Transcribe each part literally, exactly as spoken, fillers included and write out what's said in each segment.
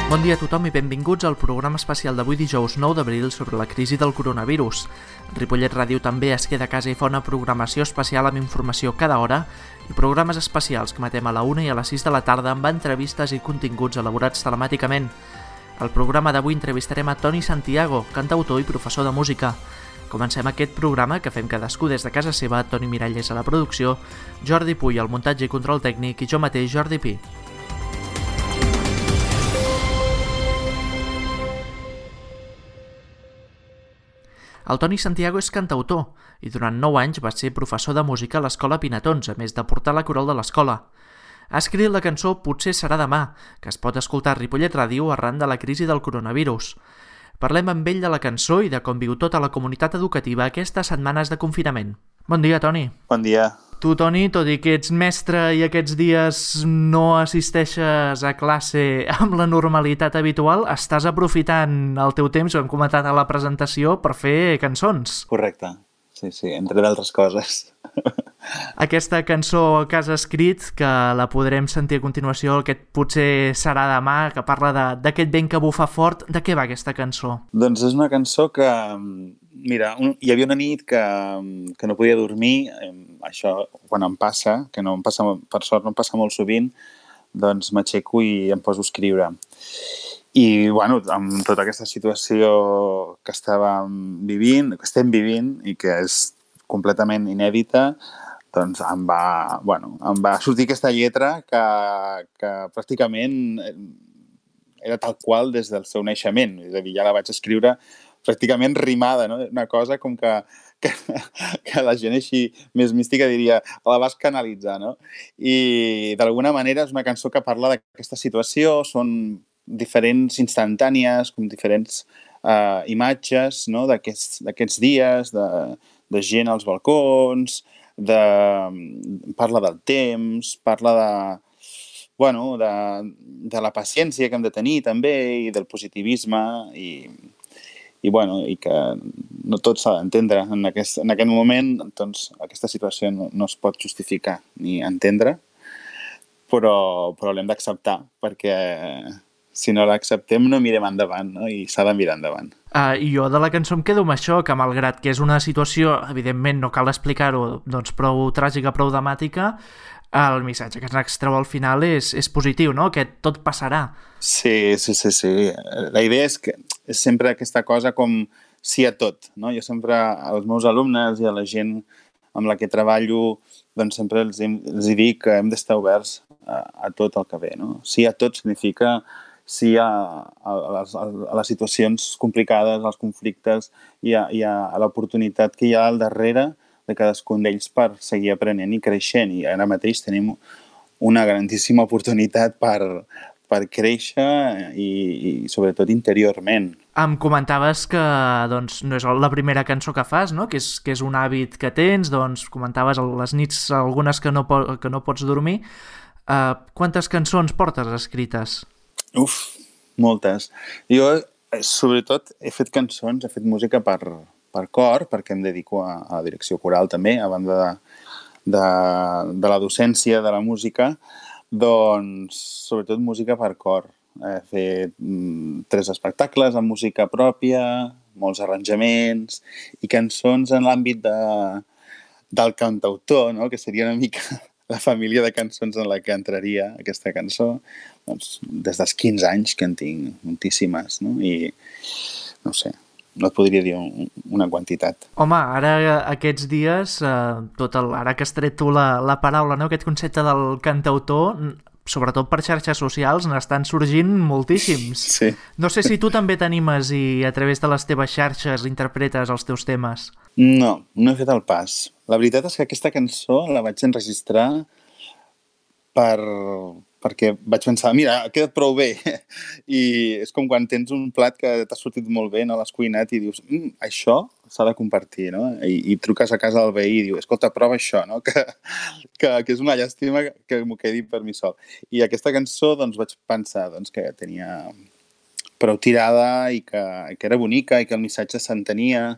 Bon dia a tothom i benvinguts al programa especial d'avui dijous nou d'abril sobre la crisi del coronavirus. Ripollet Ràdio també es queda a casa i fa una programació especial amb informació cada hora i programes especials que emetem a la una i a les sis de la tarda amb entrevistes i continguts elaborats telemàticament. Al programa d'avui entrevistarem a Toni Santiago, cantautor i professor de música. Comencem aquest programa que fem cadascú des de casa seva, Toni Miralles a la producció, Jordi Puy al muntatge i control tècnic i jo mateix, Jordi Pi. El Toni Santiago és cantautor i durant nou anys va ser professor de música a l'Escola Pinatons, a més de portar la coral de l'escola. Ha escrit la cançó Potser serà demà, que es pot escoltar a Ripollet Ràdio arran de la crisi del coronavirus. Parlem amb ell de la cançó i de com viu tota la comunitat educativa aquestes setmanes de confinament. Bon dia, Toni. Bon dia. Tu, Toni, tot i que ets mestre i aquests dies no assisteixes a classe amb la normalitat habitual, estàs aprofitant el teu temps, ho hem comentat a la presentació, per fer cançons. Correcte, sí, sí, entre d'altres coses. Aquesta cançó que has escrit, que la podrem sentir a continuació, aquest Potser serà demà, que parla d'aquest vent que bufa fort, de què va aquesta cançó? Doncs és una cançó que, mira, un, hi havia una nit que, que no podia dormir, això quan em passa, que no em passa, per sort no em passa molt sovint, doncs m'aixeco i em poso a escriure. I, bueno, amb tota aquesta situació que estàvem vivint, que estem vivint i que és completament inèdita, doncs em va, bueno, em va sortir aquesta lletra que, que pràcticament era tal qual des del seu naixement. És a dir, ja la vaig escriure pràcticament rimada, no? Una cosa com que, que, que la gent així més mística diria la vas canalitzar, no? I d'alguna manera és una cançó que parla d'aquesta situació, són diferents instantànies, com diferents uh, imatges, no? d'aquests, d'aquests dies, de, de gent als balcons, de, parla del temps, parla de, bueno, de, de la paciència que hem de tenir també i del positivisme i, i, bueno, i que no tot s'ha d'entendre. En aquest, en aquest moment doncs, aquesta situació no, no es pot justificar ni entendre, però, però l'hem d'acceptar perquè si no l'acceptem no mirem endavant, no? I s'ha de mirar endavant. Uh, I jo de la cançó em quedo amb això, que malgrat que és una situació, evidentment no cal explicar-ho, doncs prou tràgica, prou dramàtica, el missatge que ens extreu al final és, és positiu, no? Que tot passarà. Sí, sí, sí, sí. La idea és que és sempre aquesta cosa com sí a tot, no? Jo sempre als meus alumnes i a la gent amb la que treballo, doncs sempre els, els dic que hem d'estar oberts a, a tot el que ve, no? Sí a tot significa sí a, a, les, a les situacions complicades, als conflictes i a, i a, a l'oportunitat que hi ha al darrere de cadascun d'ells per seguir aprenent i creixent. I ara mateix tenim una grandíssima oportunitat per, per créixer i, i sobretot interiorment. Em comentaves que doncs, no és la primera cançó que fas, no? Que, és, que és un hàbit que tens, doncs comentaves les nits algunes que no, po que no pots dormir. Uh, quantes cançons portes escrites? Uf, moltes. Jo, sobretot, he fet cançons, he fet música per, per cor, perquè em dedico a, a la direcció coral també, a banda de, de, de la docència de la música, doncs, sobretot, música per cor. He fet mm, tres espectacles amb música pròpia, molts arranjaments i cançons en l'àmbit de, del cantautor, no? Que seria una mica la família de cançons en la que entraria aquesta cançó, doncs, des dels quinze anys que en tinc moltíssimes, no? I no sé, no et podria dir un, una quantitat. Home, ara aquests dies, eh, tot el, ara que has tret tu la, la paraula, no? Aquest concepte del cantautor, sobretot per xarxes socials, n'estan sorgint moltíssims. Sí. No sé si tu també t'animes i a través de les teves xarxes interpretes els teus temes. No, no he fet el pas. La veritat és que aquesta cançó la vaig enregistrar per... perquè vaig pensar, mira, ha quedat prou bé. I és com quan tens un plat que t'ha sortit molt bé, no l'has cuinat i dius, mm, això s'ha de compartir, no? I, i truques a casa del veí i dius, escolta, prova això, no? Que, que, que és una llàstima que m'ho quedi per mi sol. I aquesta cançó, doncs, vaig pensar doncs, que tenia prou tirada i que, que era bonica i que el missatge s'entenia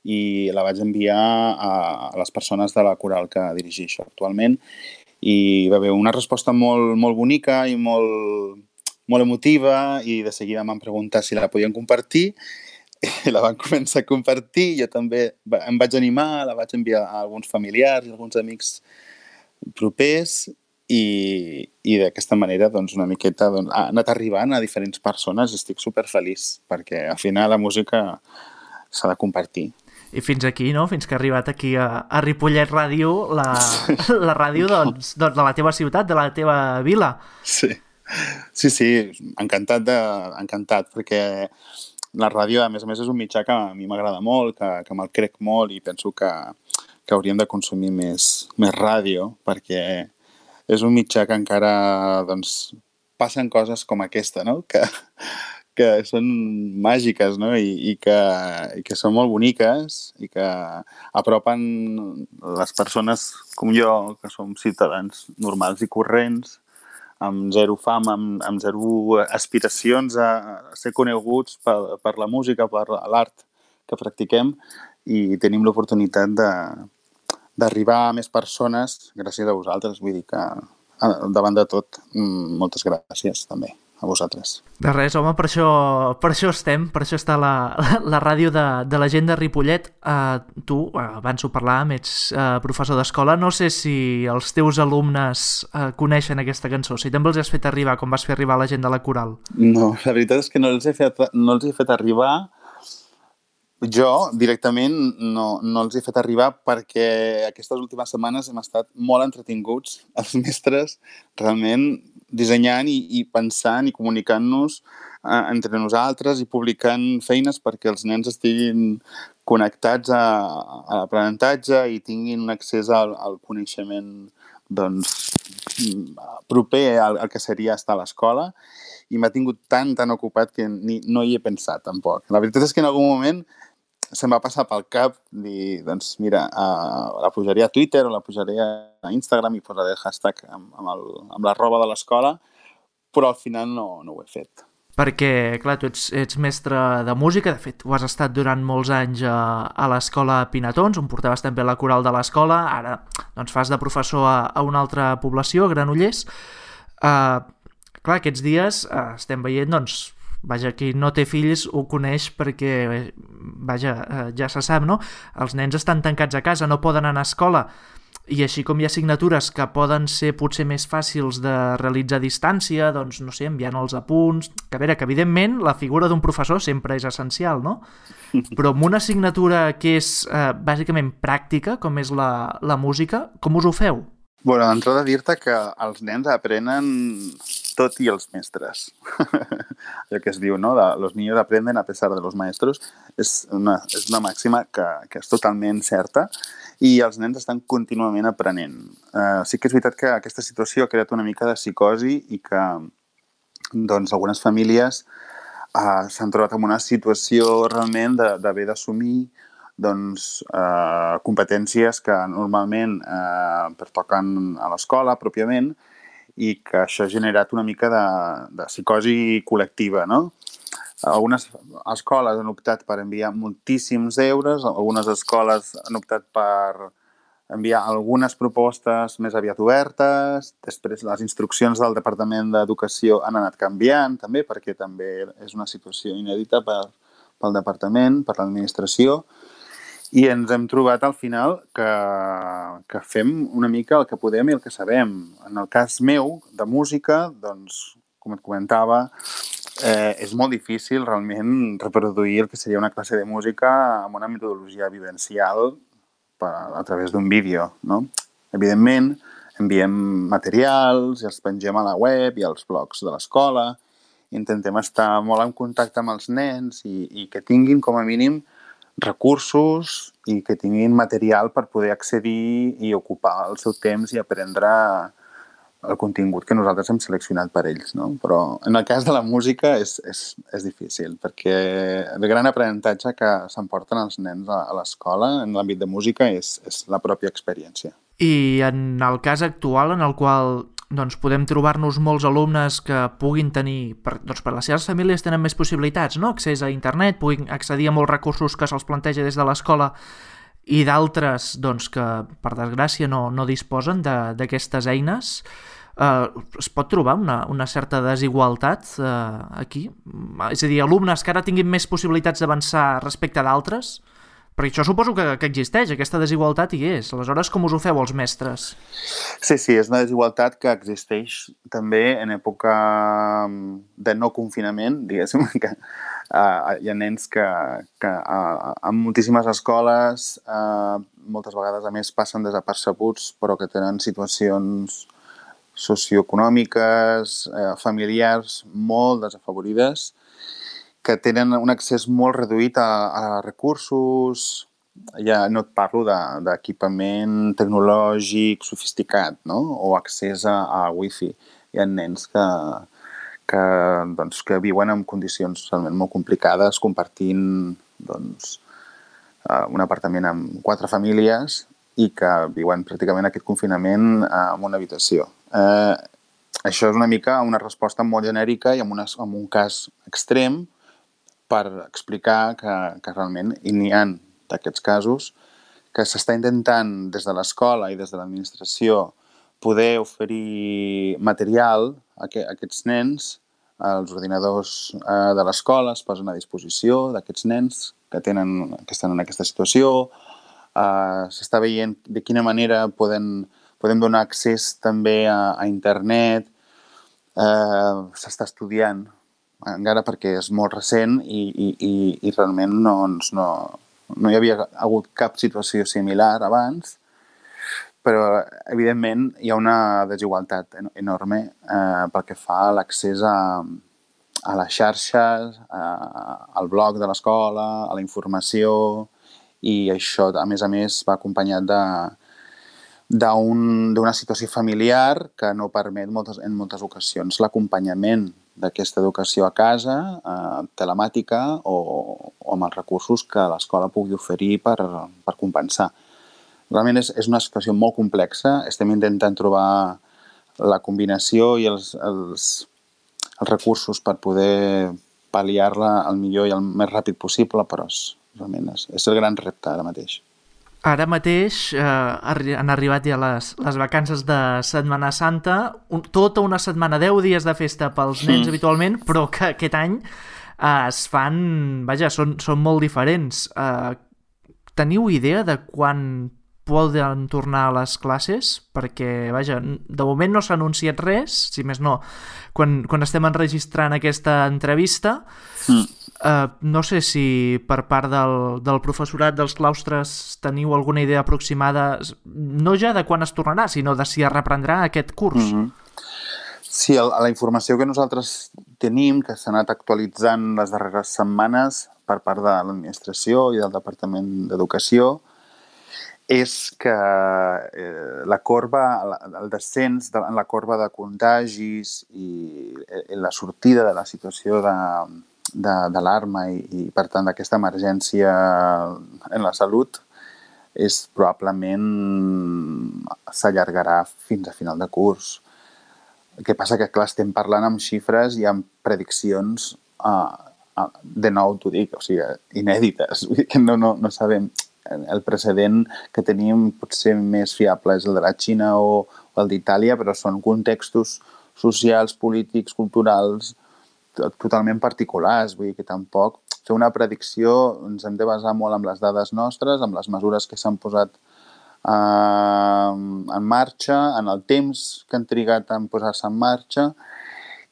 i la vaig enviar a, a les persones de la coral que dirigeixo actualment i va haver una resposta molt, molt bonica i molt, molt emotiva i de seguida em van preguntar si la podien compartir i la van començar a compartir. Jo també em vaig animar, la vaig enviar a alguns familiars i alguns amics propers i, i d'aquesta manera doncs, una miqueta doncs, ha anat arribant a diferents persones i estic superfeliç perquè al final la música s'ha de compartir. I fins aquí, no? Fins que ha arribat aquí a, a Ripollet Ràdio, la, la ràdio doncs, doncs, de la teva ciutat, de la teva vila. Sí, sí, sí, encantat, de, encantat perquè la ràdio, a més a més, és un mitjà que a mi m'agrada molt, que, que me'l crec molt i penso que, que hauríem de consumir més, més ràdio perquè és un mitjà que encara doncs, passen coses com aquesta, no? Que, que són màgiques, no? I, i, que, i que són molt boniques i que apropen les persones com jo, que som ciutadans normals i corrents, amb zero fam, amb, amb zero aspiracions a ser coneguts per, per la música, per l'art que practiquem i tenim l'oportunitat de, d'arribar a més persones gràcies a vosaltres. Vull dir que, davant de tot, moltes gràcies també a vosaltres. De res, home, per això, per això estem, per això està la, la, la ràdio de, de la gent de Ripollet. Uh, tu, uh, abans ho parlàvem, ets uh, professor d'escola. No sé si els teus alumnes uh, coneixen aquesta cançó, si també els has fet arribar, com vas fer arribar a la gent de la coral. No, la veritat és que no els he fet, no els he fet arribar. Jo, directament, no, no els he fet arribar perquè aquestes últimes setmanes hem estat molt entretinguts, els mestres, realment dissenyant i, i pensant i comunicant-nos eh, entre nosaltres i publicant feines perquè els nens estiguin connectats a, a l'aprenentatge i tinguin un accés al, al coneixement doncs, proper al, al que seria estar a l'escola i m'ha tingut tan, tan ocupat que ni, no hi he pensat tampoc. La veritat és que en algun moment se'm va passar pel cap dir, doncs mira, uh, la pujaré a Twitter o la pujaré a Instagram i posaré el hashtag amb, amb, el, amb la roba de l'escola, però al final no, no ho he fet. Perquè, clar, tu ets, ets mestre de música, de fet, ho has estat durant molts anys a, a l'escola Pinatons, on portaves també la coral de l'escola, ara doncs, fas de professor a, a una altra població, a Granollers. Uh, clar, aquests dies uh, estem veient, doncs, vaja, qui no té fills ho coneix perquè, vaja, ja se sap, no? Els nens estan tancats a casa, no poden anar a escola, i així com hi ha assignatures que poden ser potser més fàcils de realitzar a distància, doncs, no sé, enviant els apunts, que a veure, que evidentment la figura d'un professor sempre és essencial, no? Però amb una assignatura que és eh, bàsicament pràctica, com és la, la música, com us ho feu? Bueno, d'entrada dir-te que els nens aprenen tot i els mestres. Allò que es diu, no? De, los niños aprenden a pesar de los maestros. És una, és una màxima que, que és totalment certa i els nens estan contínuament aprenent. Uh, sí que és veritat que aquesta situació ha creat una mica de psicosi i que doncs, algunes famílies uh, s'han trobat en una situació realment d'haver d'assumir doncs, eh, competències que normalment eh, pertoquen a l'escola pròpiament i que això ha generat una mica de, de psicosi col·lectiva, no? Algunes escoles han optat per enviar moltíssims deures, algunes escoles han optat per enviar algunes propostes més aviat obertes, després les instruccions del Departament d'Educació han anat canviant també, perquè també és una situació inèdita per, pel Departament, per l'administració, i ens hem trobat al final que, que fem una mica el que podem i el que sabem. En el cas meu, de música, doncs, com et comentava, eh, és molt difícil realment reproduir el que seria una classe de música amb una metodologia vivencial per, a través d'un vídeo, no? Evidentment, enviem materials i els pengem a la web i als blogs de l'escola. Intentem estar molt en contacte amb els nens i, i que tinguin, com a mínim, recursos i que tinguin material per poder accedir i ocupar el seu temps i aprendre el contingut que nosaltres hem seleccionat per ells, no? Però en el cas de la música és, és, és difícil perquè el gran aprenentatge que s'emporten els nens a, a l'escola en l'àmbit de música és, és la pròpia experiència. I en el cas actual en el qual doncs, podem trobar-nos molts alumnes que puguin tenir, per, doncs per les seves famílies tenen més possibilitats, no? Accés a internet, puguin accedir a molts recursos que se'ls planteja des de l'escola i d'altres doncs, que, per desgràcia, no, no disposen d'aquestes eines. eh, es pot trobar una, una certa desigualtat eh, aquí? És a dir, alumnes que ara tinguin més possibilitats d'avançar respecte d'altres? Perquè això suposo que, que existeix, aquesta desigualtat hi és. Aleshores, com us ho feu els mestres? Sí, sí, és una desigualtat que existeix també en època de no confinament, diguéssim, que uh, hi ha nens que, que uh, en moltíssimes escoles uh, moltes vegades a més passen desapercebuts, però que tenen situacions socioeconòmiques, eh, familiars molt desafavorides, que tenen un accés molt reduït a, a recursos, ja no et parlo d'equipament tecnològic sofisticat, no? O accés a, a wifi. Hi ha nens que, que, doncs, que viuen en condicions realment molt complicades, compartint doncs, un apartament amb quatre famílies i que viuen pràcticament aquest confinament en una habitació. Eh, això és una mica una resposta molt genèrica i en, una, en un cas extrem per explicar que, que realment n'hi ha d'aquests casos, que s'està intentant des de l'escola i des de l'administració poder oferir material a, que, a aquests nens. Els ordinadors eh, de l'escola es posen a disposició d'aquests nens que, tenen, que estan en aquesta situació. Eh, s'està veient de quina manera poden, podem donar accés també a, a internet. Eh, s'està estudiant encara perquè és molt recent i, i, i, i realment no, no, no hi havia hagut cap situació similar abans, però evidentment hi ha una desigualtat enorme eh, pel que fa a l'accés a, a les xarxes, a, al blog de l'escola, a la informació, i això a més a més va acompanyat de d'una situació familiar que no permet moltes, en moltes ocasions l'acompanyament d'aquesta educació a casa, eh, telemàtica o, o amb els recursos que l'escola pugui oferir per, per compensar. Realment és, és una situació molt complexa. Estem intentant trobar la combinació i els, els, els recursos per poder pal·liar-la al millor i el més ràpid possible, però és, realment és, és el gran repte ara mateix. Ara mateix eh, han arribat ja les, les vacances de Setmana Santa, un, tota una setmana, deu dies de festa pels nens mm. habitualment, però que aquest any eh, es fan, vaja, són, són molt diferents. Eh, teniu idea de quan poden tornar a les classes? Perquè, vaja, de moment no s'ha anunciat res, si més no, quan, quan estem enregistrant aquesta entrevista. Mm. Uh, no sé si per part del, del professorat dels claustres teniu alguna idea aproximada, no ja de quan es tornarà, sinó de si es reprendrà aquest curs. Mm-hmm. Sí, el, la informació que nosaltres tenim, que s'ha anat actualitzant les darreres setmanes per part de l'administració i del Departament d'Educació, és que eh, la corba, el descens de la corba de contagis i, i la sortida de la situació de d'alarma i, i, per tant, d'aquesta emergència en la salut és probablement s'allargarà fins a final de curs. El que passa que, clar, estem parlant amb xifres i amb prediccions, uh, uh, de nou t'ho dic, o sigui, inèdites, que no, no, no sabem. El precedent que tenim potser més fiable és el de la Xina o, o el d'Itàlia, però són contextos socials, polítics, culturals, totalment particulars, vull dir que tampoc fer una predicció ens hem de basar molt en les dades nostres, amb les mesures que s'han posat eh, en marxa, en el temps que han trigat en posar-se en marxa,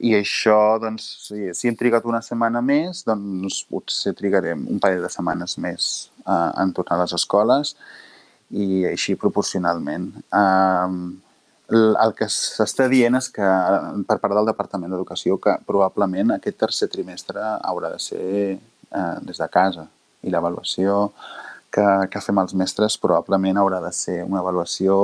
i això, doncs, si, si hem trigat una setmana més, doncs potser trigarem un parell de setmanes més eh, en tornar a les escoles i així proporcionalment. Eh, El que s'està dient és que, per part del Departament d'Educació, que probablement aquest tercer trimestre haurà de ser eh, des de casa. I l'avaluació que, que fem els mestres probablement haurà de ser una avaluació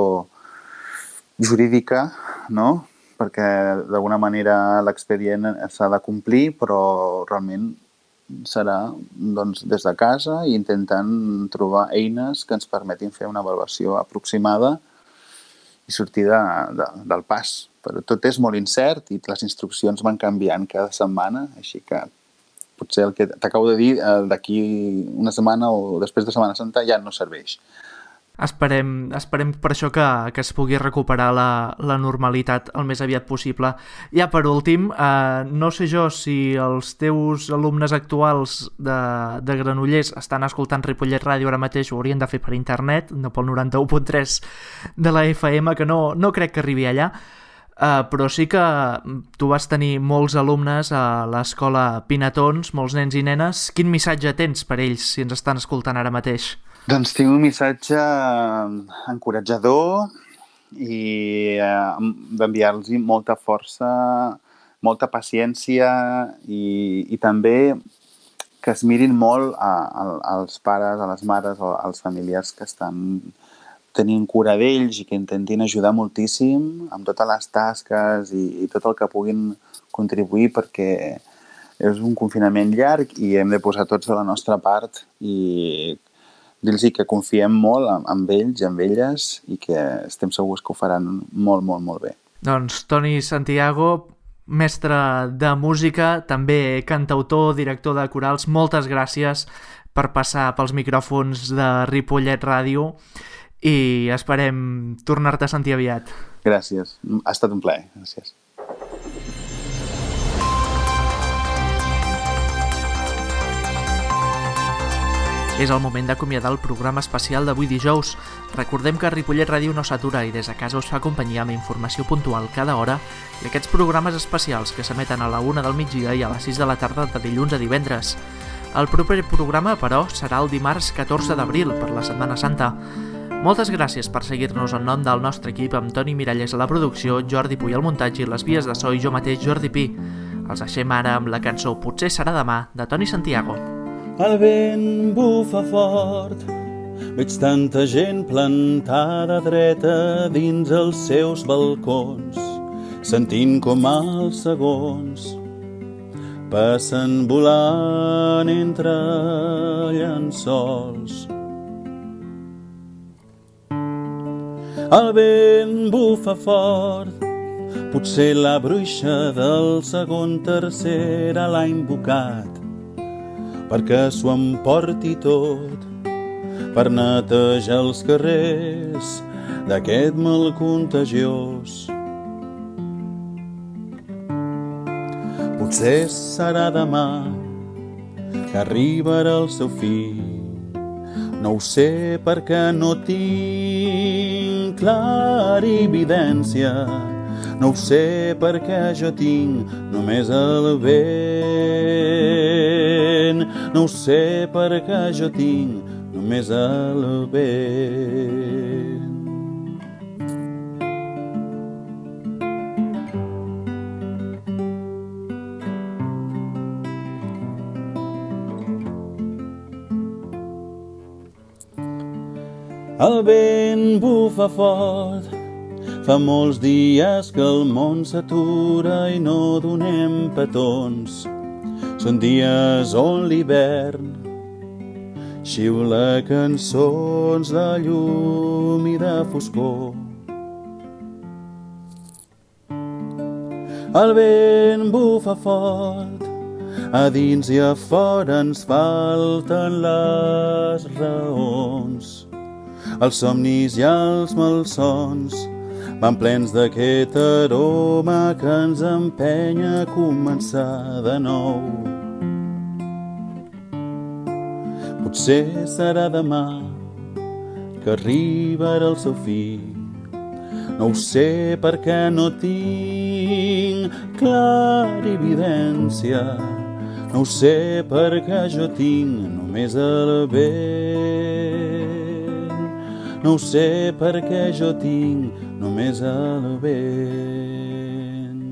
jurídica, no? Perquè d'alguna manera l'expedient s'ha de complir, però realment serà doncs, des de casa i intentant trobar eines que ens permetin fer una avaluació aproximada i sortir de, de, del pas. Però tot és molt incert i les instruccions van canviant cada setmana, així que potser el que t'acabo de dir d'aquí una setmana o després de Setmana Santa ja no serveix. Esperem, esperem per això que, que es pugui recuperar la, la normalitat el més aviat possible. Ja per últim, eh, no sé jo si els teus alumnes actuals de, de Granollers estan escoltant Ripollet Ràdio ara mateix, ho haurien de fer per internet, no pel noranta-u punt tres de la F M, que no, no crec que arribi allà, eh, però sí que tu vas tenir molts alumnes a l'escola Pinatons, molts nens i nenes. Quin missatge tens per ells si ens estan escoltant ara mateix? Doncs tinc un missatge encoratjador i eh, d'enviar-los molta força, molta paciència i, i també que es mirin molt a, a, als pares, a les mares o als familiars que estan tenint cura d'ells i que intentin ajudar moltíssim amb totes les tasques i, i tot el que puguin contribuir, perquè és un confinament llarg i hem de posar tots de la nostra part i dir-los que confiem molt en ells i en elles i que estem segurs que ho faran molt, molt, molt bé. Doncs Toni Santiago, mestre de música, també cantautor, director de corals, moltes gràcies per passar pels micròfons de Ripollet Ràdio i esperem tornar-te a sentir aviat. Gràcies, ha estat un plaer, gràcies. És el moment d'acomiadar el programa especial d'avui dijous. Recordem que Ripollet Ràdio no s'atura i des de casa us fa companyia amb informació puntual cada hora i aquests programes especials que s'emeten a la una del migdia i a les sis de la tarda de dilluns a divendres. El proper programa, però, serà el dimarts catorze d'abril per la Setmana Santa. Moltes gràcies per seguir-nos en nom del nostre equip amb Toni Miralles a la producció, Jordi Puy al muntatge i les vies de so i jo mateix, Jordi Pi. Els deixem ara amb la cançó Potser serà demà, de Toni Santiago. El vent bufa fort, veig tanta gent plantada dreta dins els seus balcons, sentint com els segons passen volant entre llençols. El vent bufa fort, potser la bruixa del segon tercer l'ha invocat perquè s'ho emporti tot, per netejar els carrers d'aquest mal contagiós. Potser serà demà que arribarà el seu fill, no ho sé perquè no tinc clarividència, no ho sé perquè jo tinc només el vent, no ho sé perquè jo tinc només el vent. El vent bufa fort, fa molts dies que el món s'atura i no donem petons. Són dies on l'hivern xiula cançons de llum i de foscor. El vent bufa fort, a dins i a fora ens falten les raons. Els somnis i els malsons van plens d'aquest aroma que ens empenya a començar de nou. Potser serà demà que arribarà el seu fill, no ho sé perquè no tinc clarividència, no ho sé perquè jo tinc només el vent, no ho sé perquè jo tinc només el vent,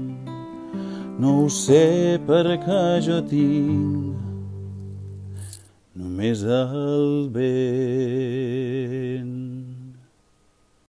no ho sé perquè jo tinc només el vent.